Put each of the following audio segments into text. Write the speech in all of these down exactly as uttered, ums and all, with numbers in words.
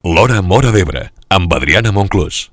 L'Hora Móra d'Ebre, amb Adriana Monclús.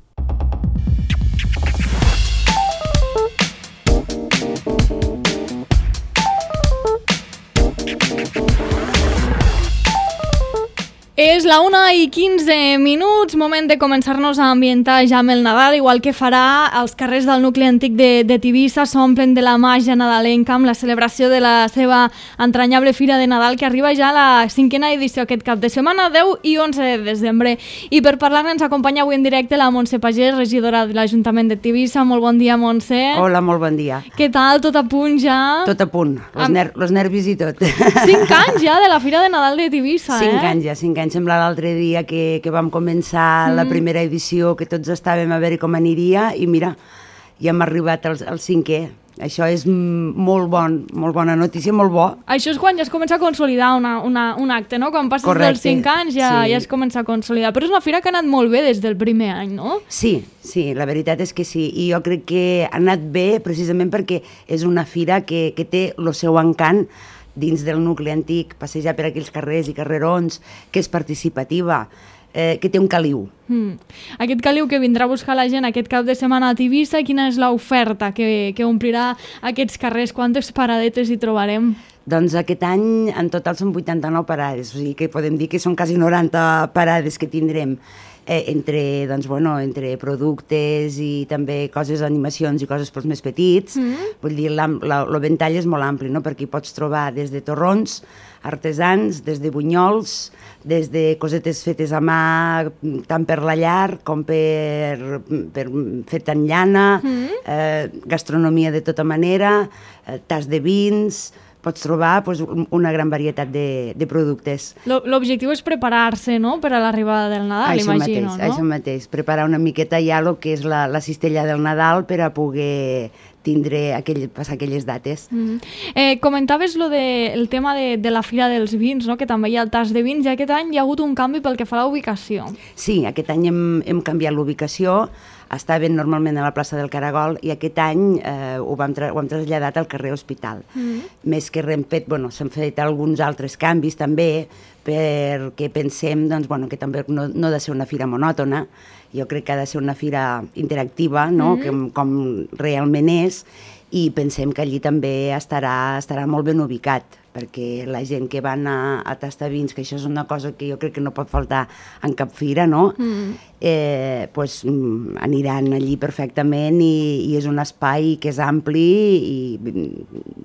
És la una i quinze minuts, moment de començar-nos a ambientar ja amb el Nadal, igual que farà els carrers del nucli antic de, de Tivissa s'omplen de la màgia nadalenca amb la celebració de la seva entranyable Fira de Nadal, que arriba ja a la cinquena edició aquest cap de setmana, deu i onze de desembre. I per parlar-ne ens acompanya avui en directe la Montse Pagès, regidora de l'Ajuntament de Tivissa. Molt bon dia, Montse. Hola, molt bon dia. Què tal? Tot a punt ja? Tot a punt, los, amb... ner los nervis i tot. Cinc anys ja de la Fira de Nadal de Tivissa, cinc eh? Cinc anys ja, cinc anys. Sembla l'altre dia que, que vam començar mm. la primera edició, que tots estàvem a veure com aniria, i mira, ja hem arribat al, al cinquè. Això és molt bon, molt bona notícia, molt bo. Això és quan ja es comença a consolidar una, una, un acte, no? Quan passes Correcte, dels cinc anys ja, sí. ja es comença a consolidar. Però és una fira que ha anat molt bé des del primer any, no? Sí, sí, la veritat és que sí. I jo crec que ha anat bé precisament perquè és una fira que, que té el seu encant dins del nucli antic, passejar per aquells carrers i carrerons, que és participativa, eh, que té un caliu. Mm. Aquest caliu que vindrà a buscar la gent aquest cap de setmana a Tivissa, quina és l'oferta que, que omplirà aquests carrers? Quantes paradetes hi trobarem? Doncs aquest any en total són vuitanta-nou parades, o sigui que podem dir que són quasi noranta parades que tindrem. Eh, entre, doncs, bueno, entre productes i també coses, animacions i coses pels més petits. Mm. Vull dir, el ventall és molt ampli, no? Perquè hi pots trobar des de torrons artesans, des de bunyols, des de cosetes fetes a mà, tant per la llar com per, per fet en llana, mm. eh, gastronomia de tota manera, eh, tas de vins. Pots trobar pues, una gran varietat de, de productes. L'objectiu és preparar-se, no?, per a l'arribada del Nadal, això imagino, mateix, no? Això mateix, preparar una miqueta ja el que és la, la cistella del Nadal per a poder tindre aquell, passar aquelles dates. Mm. Eh, comentaves lo de, el tema de, de la Fira dels Vins, no?, que també hi ha el tas de vins, i aquest any hi ha hagut un canvi pel que fa a la ubicació. Sí, aquest any hem, hem canviat l'ubicació. Estaven normalment a la plaça del Caragol i aquest any eh, ho, vam tra ho hem traslladat al carrer Hospital. Mm. Més que hem fet, bueno, s'han fet alguns altres canvis també, perquè pensem doncs, bueno, que també no, no ha de ser una fira monòtona, jo crec que ha de ser una fira interactiva, no? Mm. que, com realment és, i pensem que allí també estarà, estarà molt ben ubicat, perquè la gent que va anar a tastar vins, que això és una cosa que jo crec que no pot faltar en cap fira, no? Mm. Eh, pues, aniran allí perfectament i, i és un espai que és ampli i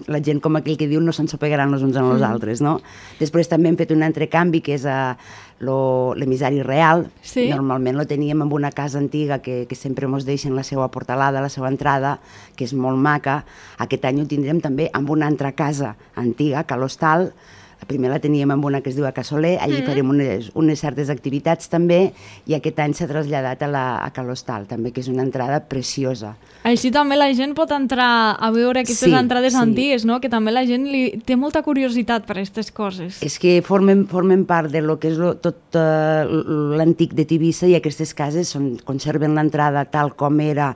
la gent, com aquell que diu, no s'ensopegaran els uns en els mm. altres, no? Després també hem fet un altre canvi, que és a l'emissari real. Sí? Normalment lo teníem en una casa antiga que, que sempre ens deixen la seva portalada, la seva entrada, que és molt maca. Aquest any ho tindrem també amb una altra casa antiga, que l'Hostal. La primera la teníem amb una que es diu a Casoler, allí mm. farem unes, unes certes activitats també, i aquest any s'ha traslladat a, la, a Cal Hostal, també, que és una entrada preciosa. Així també la gent pot entrar a veure aquestes sí, entrades sí. antigues, no? Que també la gent li té molta curiositat per aquestes coses. És que formen, formen part de lo que és lo, tot uh, l'antic de Tivissa, i aquestes cases són, conserven l'entrada tal com era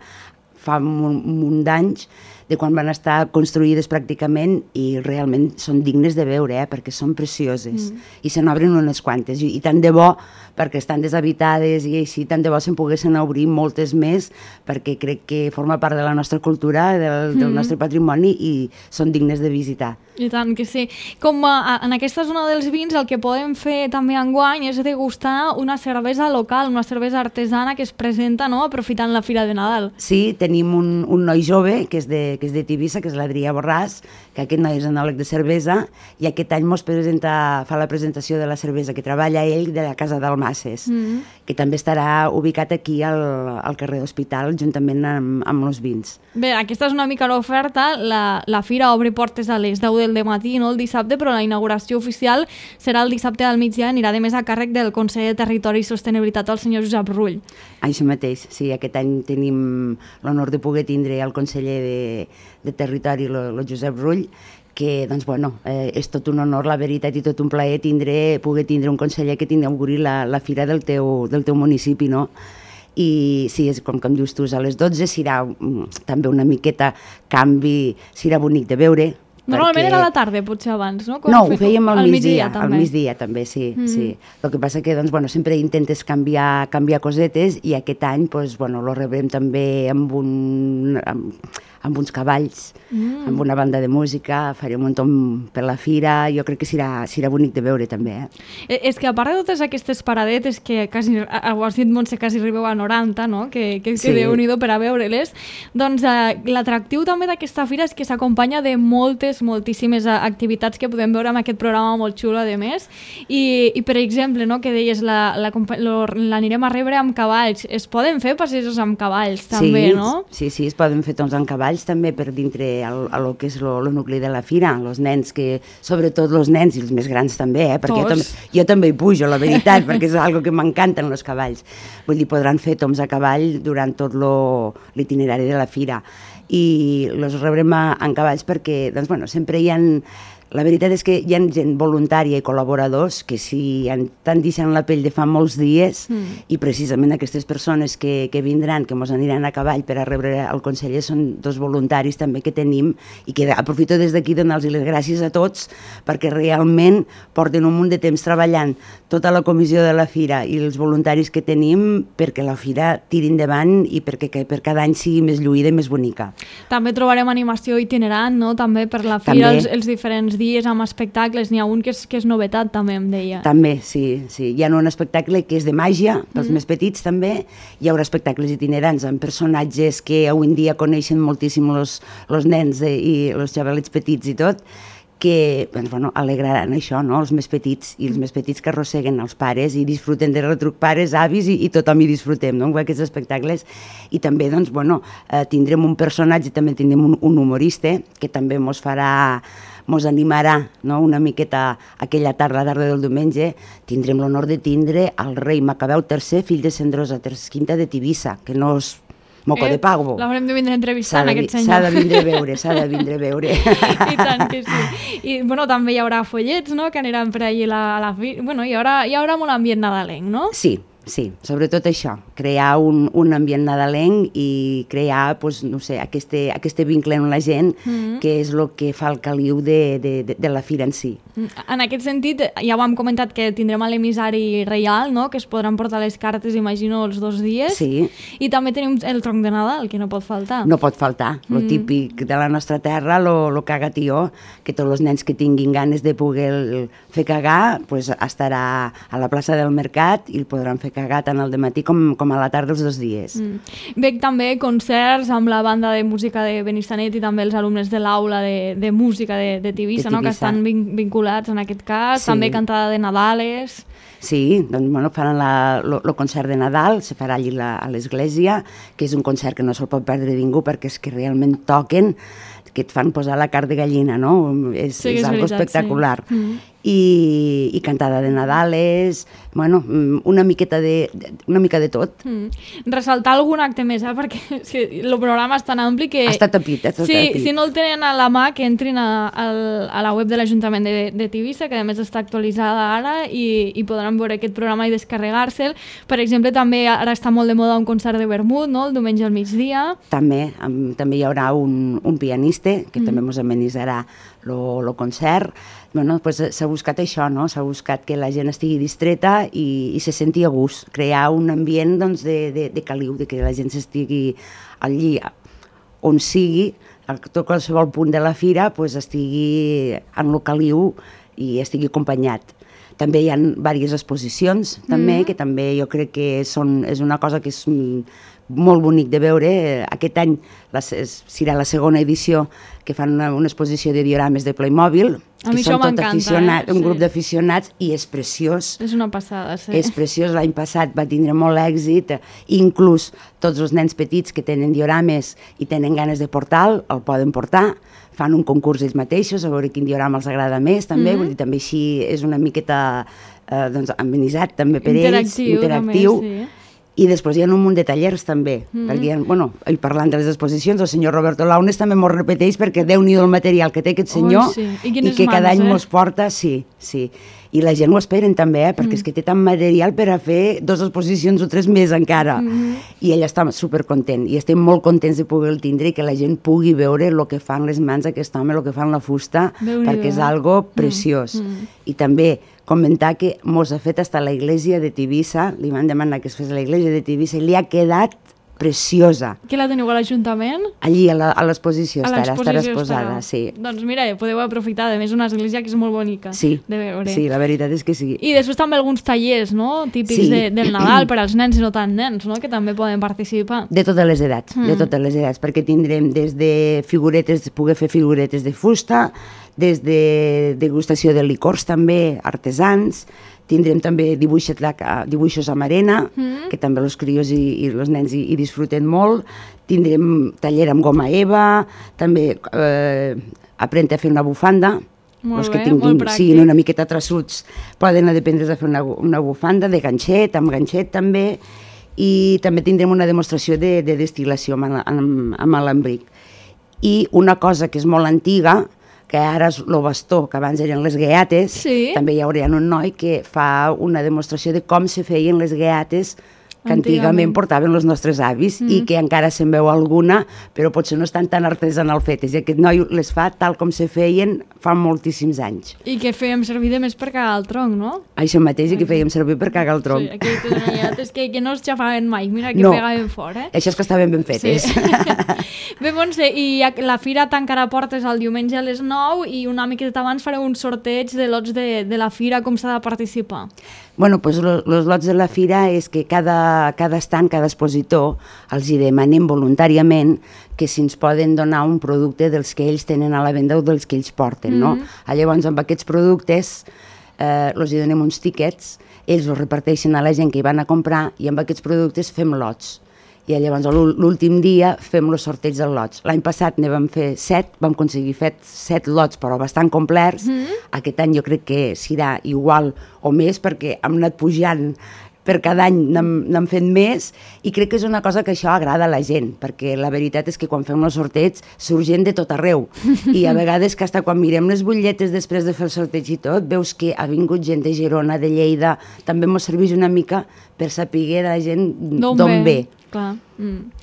fa un munt d'anys, de quan van estar construïdes pràcticament, i realment són dignes de veure, eh, perquè són precioses. Mm. I se n'obren unes quantes, i, i tant de bo, perquè estan deshabitades i així, tant de bo se'n poguessin obrir moltes més, perquè crec que forma part de la nostra cultura, del, del mm. nostre patrimoni, i són dignes de visitar. I tant que sí. Com a, en aquesta zona dels vins, el que podem fer també enguany és degustar una cervesa local, una cervesa artesana que es presenta, no?, aprofitant la Fira de Nadal. Sí, tenim un, un noi jove que és de, que és de Tivissa, que és l'Adrià Borràs, que aquest noi és enòleg de cervesa, i aquest any mos presenta, fa la presentació de la cervesa que treballa ell de la Casa d'Almasses, mm. que també estarà ubicat aquí al, al carrer Hospital, juntament amb, amb els vins. Bé, aquesta és una mica l'oferta. La, la fira obre portes a les deu del matí, no el dissabte, però la inauguració oficial serà el dissabte al migdia, anirà de més a càrrec del conseller de Territori i Sostenibilitat, el senyor Josep Rull. Això mateix, sí, aquest any tenim l'honor de poder tindre el conseller de, de Territori, el Josep Rull, que, doncs, bueno, eh, és tot un honor, la veritat, i tot un plaer tindre, poder tindre un conseller que t'inauguri la, la fira del teu, del teu municipi, no? I sí, és com, com dius tu, a les dotze serà um, també una miqueta canvi, serà bonic de veure, Normalment perquè... era a la tarda, potser abans, no? Com no, ho ho fèiem al, al migdia, migdia, al migdia també, sí, mm. sí. El que passa que, doncs, bueno, sempre intentes canviar, canviar cosetes i aquest any, doncs, bueno, lo rebrem també amb un... Amb, amb uns cavalls, mm. amb una banda de música, farem un tom per la fira, jo crec que serà, serà bonic de veure també. Eh? És que a part de totes aquestes paradetes que quasi, ho has dit, Montse, quasi arribeu a noranta, no? que, que, sí. que Déu-n'hi-do per a veure-les, doncs eh, l'atractiu també d'aquesta fira és que s'acompanya de moltes, moltíssimes activitats que podem veure amb aquest programa molt xulo, a més, i, i per exemple, no, que deies, l'anirem a rebre amb cavalls, es poden fer passejos amb cavalls també, sí, no? Sí, sí, es poden fer toms amb cavalls també per dintre el, el que és el nucli de la fira, els nens que, sobretot els nens i els més grans també, eh, perquè jo també, jo també hi pujo, la veritat, perquè és algo que m'encanten els cavalls. Vull dir, podran fer toms a cavall durant tot l'itinerari de la fira i els rebrem a, en cavalls perquè, doncs, bueno, sempre hi ha... La veritat és que hi ha gent voluntària i col·laboradors que s'hi estan deixant la pell de fa molts dies mm. i precisament aquestes persones que, que vindran, que ens aniran a cavall per a rebre el conseller, són dos voluntaris també que tenim i que aprofito des d'aquí donar-los les gràcies a tots perquè realment porten un munt de temps treballant tota la comissió de la fira i els voluntaris que tenim perquè la fira tiri endavant i perquè que per cada any sigui més lluïda i més bonica. També trobarem animació itinerant, no? També per la fira, els, els diferents dies amb espectacles, n'hi ha un que és, que és novetat també, em deia. També, sí, sí. Hi ha un espectacle que és de màgia, pels mm. més petits també, hi haurà espectacles itinerants amb personatges que avui en dia coneixen moltíssim els nens eh, i els xavalets petits i tot, que doncs, bueno, alegraran això, no? Els més petits, i els més petits que arrosseguen els pares i disfruten de retruc pares, avis i, i tothom hi disfrutem, no? Amb aquests espectacles. I també, doncs, bueno, eh, tindrem un personatge, també tindrem un, un humorista que també mos farà mos animarà, no? Una miqueta aquella tarda, la tarda del diumenge, tindrem l'honor de tindre el rei Macabeu tercer, fill de Cendrosa Quinta de Tivissa, que no és moco eh, de pago. L'haurem de vindre a entrevistar en aquest senyor. S'ha de vindre a veure, s'ha de vindre a veure. I tant que sí. I bueno, també hi haurà follets, no?, que aniran per allà a la, a la fi... Bueno, hi haurà, hi haurà molt ambient nadalenc, no? Sí. Sí, sobretot això, crear un, un ambient nadalenc i crear, pues, no sé, este, este vincle amb la gent, mm-hmm. que és el que fa el caliu de, de, de, de la fira en si. En aquest sentit, ja ho hem comentat que tindrem l'emissari reial, no?, que es podran portar les cartes, imagino, els dos dies. Sí. I també tenim el tronc de Nadal, que no pot faltar. No pot faltar. Mm. Lo típic de la nostra terra, lo, lo cagatió, que tots els nens que tinguin ganes de poder fer cagar, pues, estarà a la plaça del Mercat i el podran fer cagar tant al dematí com, com a la tarda els dos dies. Mm. Veig també concerts amb la banda de música de Benissanet i també els alumnes de l'aula de, de música de, de Tivissa, de Tivissa. No? Que estan vin, vinculats en aquest cas, sí. També cantada de Nadales. Sí, doncs bueno, faran el concert de Nadal, se farà allí la, a l'església, que és un concert que no se'l pot perdre ningú perquè és que realment toquen, que et fan posar la carn de gallina, no? És, sí, és, és algo veritat, espectacular. Sí. Mm. I, i cantada de Nadales, bueno, una miqueta de, una mica de tot. Mm. Ressaltar algun acte més, eh? Perquè si, el programa és tan ampli que... Està tapit, està sí, tapit. Si no el tenen a la mà, que entrin a, a, a la web de l'Ajuntament de, de Tivissa, que a més està actualitzada ara, i, i podran veure aquest programa i descarregar-se'l. Per exemple, també ara està molt de moda un concert de vermut, no?, el diumenge al migdia. També, amb, també hi haurà un, un pianista, que mm. també ens amenitzarà el concert. Bueno, pues s'ha buscat això, no? S'ha buscat que la gent estigui distreta i, i se senti a gust, crear un ambient, doncs, de, de, de caliu, de que la gent s'estigui allí on sigui, a tot qualsevol punt de la fira, pues, estigui en el caliu i estigui acompanyat. També hi ha diverses exposicions, també, mm. que també jo crec que són, és una cosa que és molt bonic de veure. Aquest any la, serà la segona edició que fan una, una exposició de diorames de Playmobil, a mi això m'encanta, eh? Un sí. grup d'aficionats, i és preciós. És una passada, sí. És preciós, l'any passat va tindre molt èxit, inclús tots els nens petits que tenen diorames i tenen ganes de portar-lo, el poden portar, fan un concurs ells mateixos, a veure quin diorama els agrada més, també, mm-hmm. vull dir, també així és una miqueta eh, doncs, amenitzat també per interactiu, ells, interactiu. També, sí. I després hi ha un munt de tallers també, mm. perquè hi ha, bueno, i parlant de les exposicions, el senyor Roberto Launes també m'ho repeteix perquè Déu-n'hi-do el material que té aquest senyor. Ui, sí. I, i que mans, cada any eh? mos porta, sí, sí. I la gent ho esperen també, eh? perquè mm. és que té tant material per a fer dues exposicions o tres més encara. Mm. I ell està supercontent i estem molt contents de poder-lo tindre i que la gent pugui veure el que fan les mans d'aquest home, el que fan la fusta, perquè és algo preciós. Mm. Mm. I també comentar que mos ha fet hasta la iglesia de Tivissa, li van demanar que es fes a la iglesia de Tivissa i li ha quedat preciosa. Que la teniu a l'Ajuntament? Allí, a l'exposició estarà, estarà exposada, sí. Doncs mira, podeu aprofitar, a més una església que és molt bonica sí, de veure. Sí, la veritat és que sí. I després també alguns tallers, no?, típics sí. de, del Nadal per als nens i no tan nens, no?, que també poden participar. De totes les edats, mm. de totes les edats, perquè tindrem des de figuretes, poder fer figuretes de fusta, des de degustació de licors també, artesans, tindrem també dibuixos, dibuixos amb arena, mm. que també els crios i, i els nens hi, hi disfruten molt. Tindrem taller amb goma eva, també eh, aprendre a fer una bufanda. Molt els bé, que tinguin, molt pràctic. siguin una miqueta traçuts poden aprendre a fer una, una bufanda de ganxet, amb ganxet també, i també tindrem una demostració de, de destil·lació amb, amb, amb alambric. I una cosa que és molt antiga, que ara és el bastó, que abans eren les gueates, sí. també hi haurà un noi que fa una demostració de com se feien les gueates que antigament, antigament portaven els nostres avis mm. i que encara se'n veu alguna, però potser no estan tan artesanal fetes. I aquest noi les fa tal com se feien fa moltíssims anys. I que fèiem servir de més per cagar el tronc, no? Això mateix, i que fèiem servir per cagar el tronc. Sí, aquelles noiates que, que no es xafaven mai, mira que no. pegaven fort, eh? Això és que estaven ben fetes. Sí. Bé, Montse, i la fira tancarà portes el diumenge a les nou i una miqueta abans fareu un sorteig de lots de, de la fira, com s'ha de participar? Bueno, doncs els lots de la fira és que cada, cada estant, cada expositor, els hi demanem voluntàriament que si ens poden donar un producte dels que ells tenen a la venda o dels que ells porten, no? Mm-hmm. Llavors, amb aquests productes, eh, els hi donem uns tíquets, ells els reparteixen a la gent que hi van a comprar i amb aquests productes fem lots. I llavors l'últim dia fem el sorteig dels lots. L'any passat ne vam fer set, vam aconseguir fer set lots, però bastant complets. Mm-hmm. Aquest any jo crec que serà igual o més, perquè hem anat pujant per cada any, n'hem fet més, i crec que és una cosa que això agrada a la gent, perquè la veritat és que quan fem els sorteig surt gent de tot arreu, i a vegades que hasta quan mirem les butlletes després de fer el sorteig i tot, veus que ha vingut gent de Girona, de Lleida, també ens serveix una mica per saber la gent d'on ve. Clar. Mm.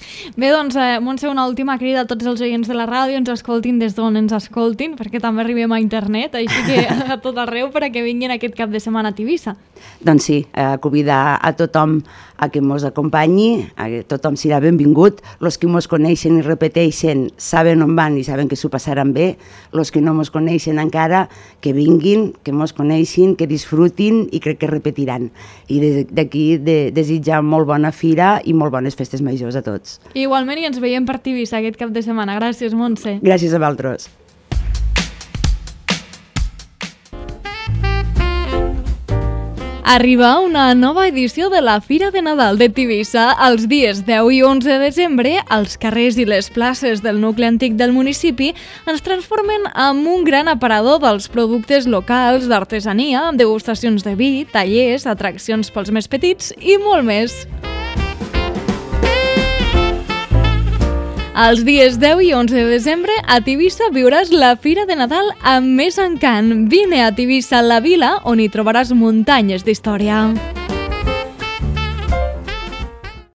Bé, doncs, eh, Montse, una última crida a tots els oients de la ràdio, ens escoltin des d'on ens escoltin, perquè també arribem a internet, així que a tot arreu perquè vinguin aquest cap de setmana a Tivissa. Doncs sí, eh, convidar a tothom a que mos acompanyi, a que tothom serà benvingut, els que mos coneixen i repeteixen saben on van i saben que s'ho passaran bé, els que no mos coneixen encara, que vinguin, que mos coneixin, que disfrutin i crec que repetiran. I d'aquí de, desitjar molt bona fira i molt bones festes majors a tots. Igualment, i ens veiem per Tivissa aquest cap de setmana. Gràcies, Montse. Gràcies a vosaltres. Arriba una nova edició de la Fira de Nadal de Tivissa. Els dies deu i onze de desembre, els carrers i les places del nucli antic del municipi ens transformen en un gran aparador dels productes locals, d'artesania, degustacions de vi, tallers, atraccions pels més petits i molt més. Els dies deu i onze de desembre a Tivissa viuràs la Fira de Nadal amb més encant. Vine a Tivissa, la vila, on hi trobaràs muntanyes d'història.